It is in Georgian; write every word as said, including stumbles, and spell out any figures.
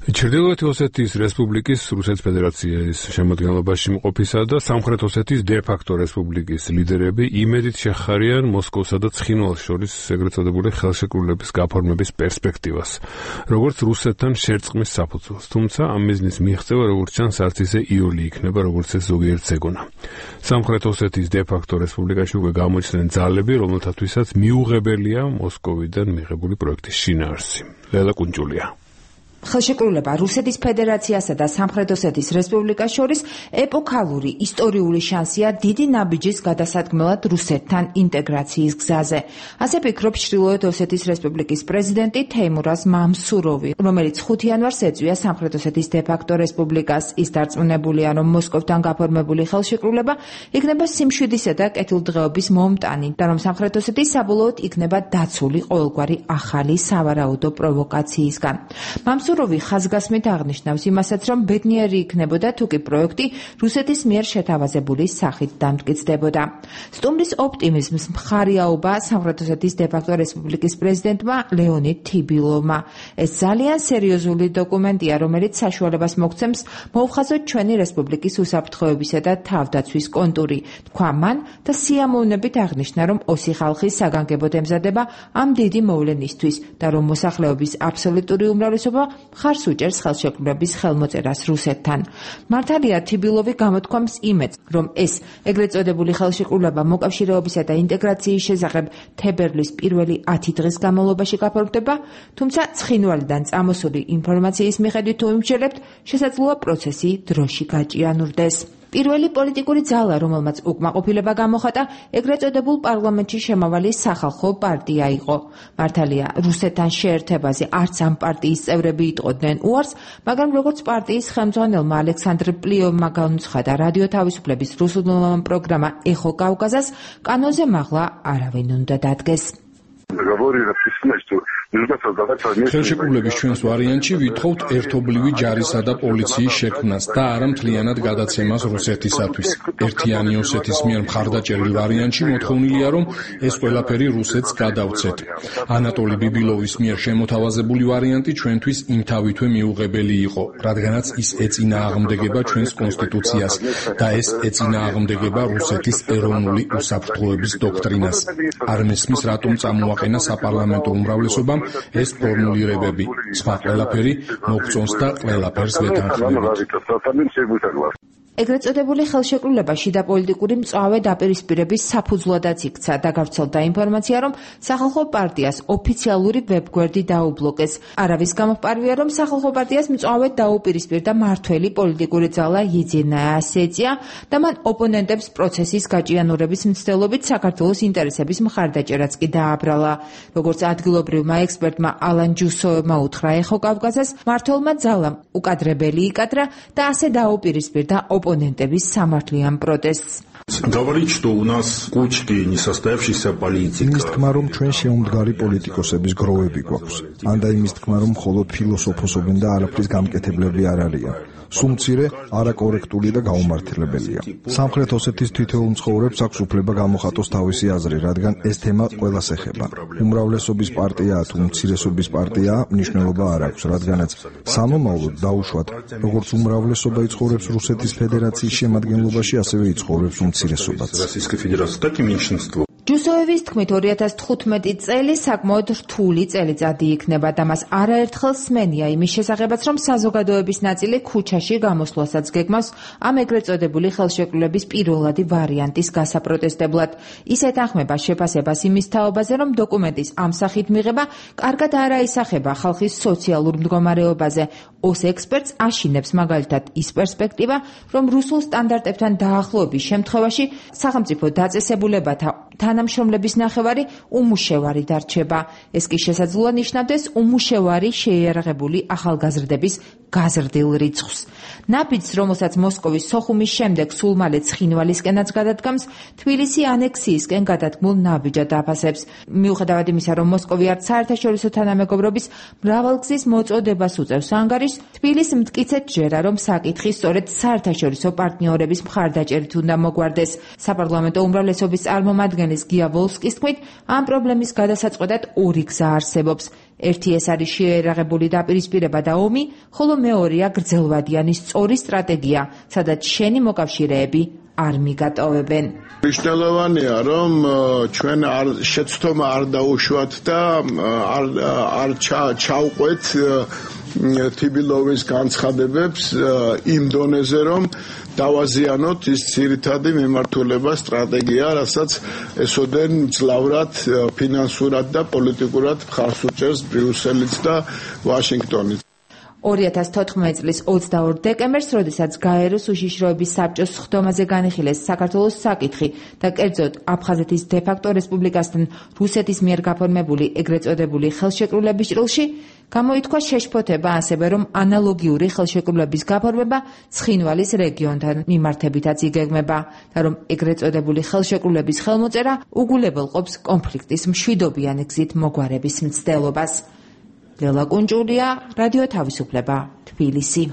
ჩრდილოეთი ოსეთის რესპუბლიკის რუსეთის ფედერაციის შემადგენლობაში მყოფისა და სამხრეთ ოსეთის დე-ფაქტო რესპუბლიკის ლიდერები იმედით შეხარიან მოსკოვსა და ცხინვალს შორის ეგრეთ წოდებული ხელშეკრულების გაფორმების პერსპექტივას, როგორც რუსეთთან შერწყმის საფუძველს. თუმცა ამ მიზნის მიღწევა, როგორც ჩანს, არც ისე იოლი იქნება, როგორც ეს ზოგიერთს ეგონა. სამხრეთ ოსეთის დე-ფაქტო რესპუბლიკაში უკვე გამოჩნდნენ ძალები, რომელთათვისაც მიუღებელია მოსკოვიდან მიღებული პროექტის შინაარსი. ლელა კუნჭულია. ხელშეკრულება რუსეთის ფედერაციასა და სამხრეთ ოსეთის რესპუბლიკას შორის ეპოქალური ისტორიული შანსია დიდი ნაბიჯის გადასადგმელად რუსეთთან ინტეგრაციის გზაზე. ასე ფიქრობს ჩრდილოეთ ოსეთის რესპუბლიკის პრეზიდენტი თეიმურაზ მამსუროვი, რომელიც ხუთი იანვარს ეწვია სამხრეთ ოსეთის დე-ფაქტო რესპუბლიკას. ის დარწმუნებულია, რომ მოსკოვთან გაფორმებული ხელშეკრულება იქნება სიმშვიდისა და კეთილდღეობის მომტანი და რომ სამხრეთ ოსეთი საბოლოოდ იქნება დაცული ყოველგვარი ახალი სავარაუდო პროვოკაციისგან. მამსუროვი ხაზგასმით აღნიშნავს იმასაც, რომ ბედნიერი იქნებოდა თუ კი პროექტი რუსეთის მიერ შეთავაზებული სახით დამტკიცდებოდა. სტუმრის ოპტიმიზმს მხარიაობა სამხრეთ ოსეთის დე-ფაქტო რესპუბლიკის პრეზიდენტმა ლეონიდ თიბილოვმა. ეს ძალიან სერიოზული დოკუმენტია, რომელიც საშუალებას მოგცემს მოუხაზოთ ჩვენი რესპუბლიკის უსაფრთხოებისა და თავდაცვის კონტური. თქვა მან და სიამოვნებით აღნიშნა, რომ ოსი ხალხის საგანგებოდ ემზადება ამ დიდი მოვლენისთვის და რომ მოსახლეობის აბსოლუტური უმრავლესობა მხარს უჭერს ხელშეკრულების ხელმოწერას რუსეთთან. მართალია თიბილოვი გამოთქვამს იმედს, რომ ეს ეგრეთ წოდებული ხელშეკრულება მოკავშირეობისა და ინტეგრაციის შესახებ თებერვლის პირველი ათი დღის განმავლობაში გაფორმდება, თუმცა ცხინვალიდან წამოსული ინფორმაციის მიხედვით თუ ვიმსჯელებთ, შესაძლოა პროცესი დროში გაჭიანურდეს. პირველი პოლიტიკური ძალა, რომელმაც უკმაყოფილება გამოხატა, ეგრეთ წოდებულ პარლამენტში შემავალი სახალხო პარტია იყო. მართალია, რუსეთთან შეერთებაზე არც ამ პარტიის წევრები იტყოდნენ უარს, მაგრამ როგორც პარტიის ხელმძღვანელმა ალექსანდრ პლიოვმა განუცხადა რადიო თავისუფლების რუსულენოვან პროგრამა ეხო კავკაზას, კანონზე მაღლა არავინ უნდა დადგეს. ხელშეკრულების ჩვენს ვარიანტში ვითხოვთ ერთობლივი ჯარისა და პოლიციის შექმნას და არა მთლიანად გადაცემას რუსეთისათვის. ერთიანი ოსეთის მიერ მხარდაჭერილ ვარიანტში მოთხოვნილია, რომ ეს ყველაფერი რუსეთს გადავცეთ. ანატოლი ბიბილოვის მიერ შემოთავაზებული ვარიანტი ჩვენთვის იმთავითვე მიუღებელი იყო, რადგანაც ის ეწინააღმდეგება ჩვენს კონსტიტუციას და ეს ეწინააღმდეგება რუსეთის ეროვნული უსაფრთხოების დოქტრინას. არ მესმის, რატომ წამოაყენა საპარლამენტო უმრავლესობამ ეს ფორმულირებები. სხვა ყველაფერი მოგწონს და ყველაფერს ვეთანხმებით. ეგრეთ წოდებული ხელშეკრულება შიდა პოლიტიკური მწვავე დაპირისპირების საფუძვლადაც იქცა და გავრცელდა ინფორმაცია, რომ სახალხო პარტიას ოფიციალური ვებგვერდი დაუბლოკეს. არავის გამოფარვია, რომ სახალხო პარტიას მწვავედ დაუპირისპირდა მართველი პოლიტიკური ძალა იძინა ასეცია და მან ოპონენტებს პროცესის გაჭიანურების მცდელობით საქართველოს ინტერესების მხარდაჭერაც კი დააბრალა. როგორც ადგილობრივმა ექსპერტმა ალან ჯუსოვმა უთხრა ეხო კავკაზას, მმართველმა ძალამ უკადრებელი იკადრა და ასე დაუპირისპირდა оппонентების სამართლიან პროტესტს. Говорит, что у нас кучки несостоявшихся политиков. იმის თქმა, რომ ჩვენ შეუმდგარი პოლიტიკოსების გროვები გვაქვს. ანდა იმის თქმა, რომ მხოლოდ ფილოსოფოსობენ და არაფრის გამკეთებლები არ არიან. სულ მცირე, არაკორექტული და გაუმართლებელია. სამხრეთ ოსეთის თითოეულ მცხოვრებს აქვს უფლება გამოხატოს თავისი აზრი, რადგან ეს თემა ყველას ეხება. უმრავლესობის პარტიაა თუ მცირესობის პარტიაა, მნიშვნელობა არ აქვს, რადგანაც სამომავლოდ დაუშვათ, როგორც უმრავლესობა იცხოვრებს რუსეთის ფედერაციის შემადგენლობაში, ასევე იცხოვრებს უმცირესობაც. ჯუსოევის თქმით, ორი ათას თხუთმეტი წელი საკმაოდ რთული წელიწადი იქნება და მას არაერთხელ სმენია იმის შესახებაც, რომ საზოგადოების ნაწილი ქუჩაში გამოსვლასაც გეგმავს ამ ეგრეთ წოდებული ხელშეკრულების პირველადი ვარიანტის გასაპროტესტებლად. ის ეთანხმება შეფასებას იმის თაობაზე, რომ დოკუმენტის ამ სახით მიღება კარგად არ აისახება ხალხის სოციალურ მდგომარეობაზე. ოს ექსპერტს აშინებს მაგალითად ის პერსპექტივა, რომ რუსულ სტანდარტებთან დაახლოების შემთხვევაში სახელმწიფო დაწესებულებათა თანამშრომლების ნახევარი უმუშევარი დარჩება. ეს კი შესაძლოა ნიშნავდეს უმუშევარი შეიარაღებული ახალგაზრდების გაზრდილ რიცხვს. ნაბიჯს, რომელსაც მოსკოვის სოხუმის შემდეგ სულ მალე ცხინვალისკენაც გადადგამს, თბილისი ანექსიისკენ გადადგმულ ნაბიჯად აფასებს. მიუხედავად იმისა, რომ მოსკოვი არც საერთაშორისო თანამეგობრობის მრავალგზის მოწოდებას უწევს ანგარიშს, თბილისს მტკიცედ ჯერა, რომ საკითხი სწორედ საერთაშორისო პარტნიორების მხარდაჭერით უნდა მოგვარდეს. საპარლამენტო უმრავლესობის წარმომადგენლის გია ვოლსკის თქმით, ამ პრობლემის გადასაწყვეტად ორი გზა არსებობს. ერთი ეს არის შეერაღებული დაპირისპირება და ომი, ხოლო მეორეა გრძელვადიანი სწორი სტრატეგია, სადაც შენი მოკავშირეები არ მიგატოვებენ. მნიშვნელოვანია, რომ ჩვენ არ შეცდომა არ დაუშვათ და არ არ ჩავყვეთ თიბილოვის განცხადებებს იმ დონეზე, რომ დავაზიანოთ ის ძირითადი მიმართულება სტრატეგია, რასაც ესოდენ მძლავრად ფინანსურად და პოლიტიკურად მხარს უჭერს ბრიუსელიც და ვაშინგტონიც. ორი ათას თოთხმეტი წლის ოცდაორ დეკემბერს, როდესაც გაეროს უშიშროების საბჭოს სხდომაზე განიხილეს საქართველოს საკითხი და კერძოდ აფხაზეთის დე-ფაქტო რესპუბლიკასთან რუსეთის მიერ გაფორმებული ეგრეთ წოდებული ხელშეკრულების ჭრილში, გამოითქვა შეშფოთება ასევე, რომ ანალოგიური ხელშეკრულების გაფორმება ცხინვალის რეგიონთან მიმართებითაც იგეგმება და რომ ეგრეთ წოდებული ხელშეკრულების ხელმოწერა უგულებელყოფს კონფლიქტის მშვიდობიანი გზით მოგვარების მცდელობას. ლელა კუნჭულია, რადიო თავისუფლება, თბილისი.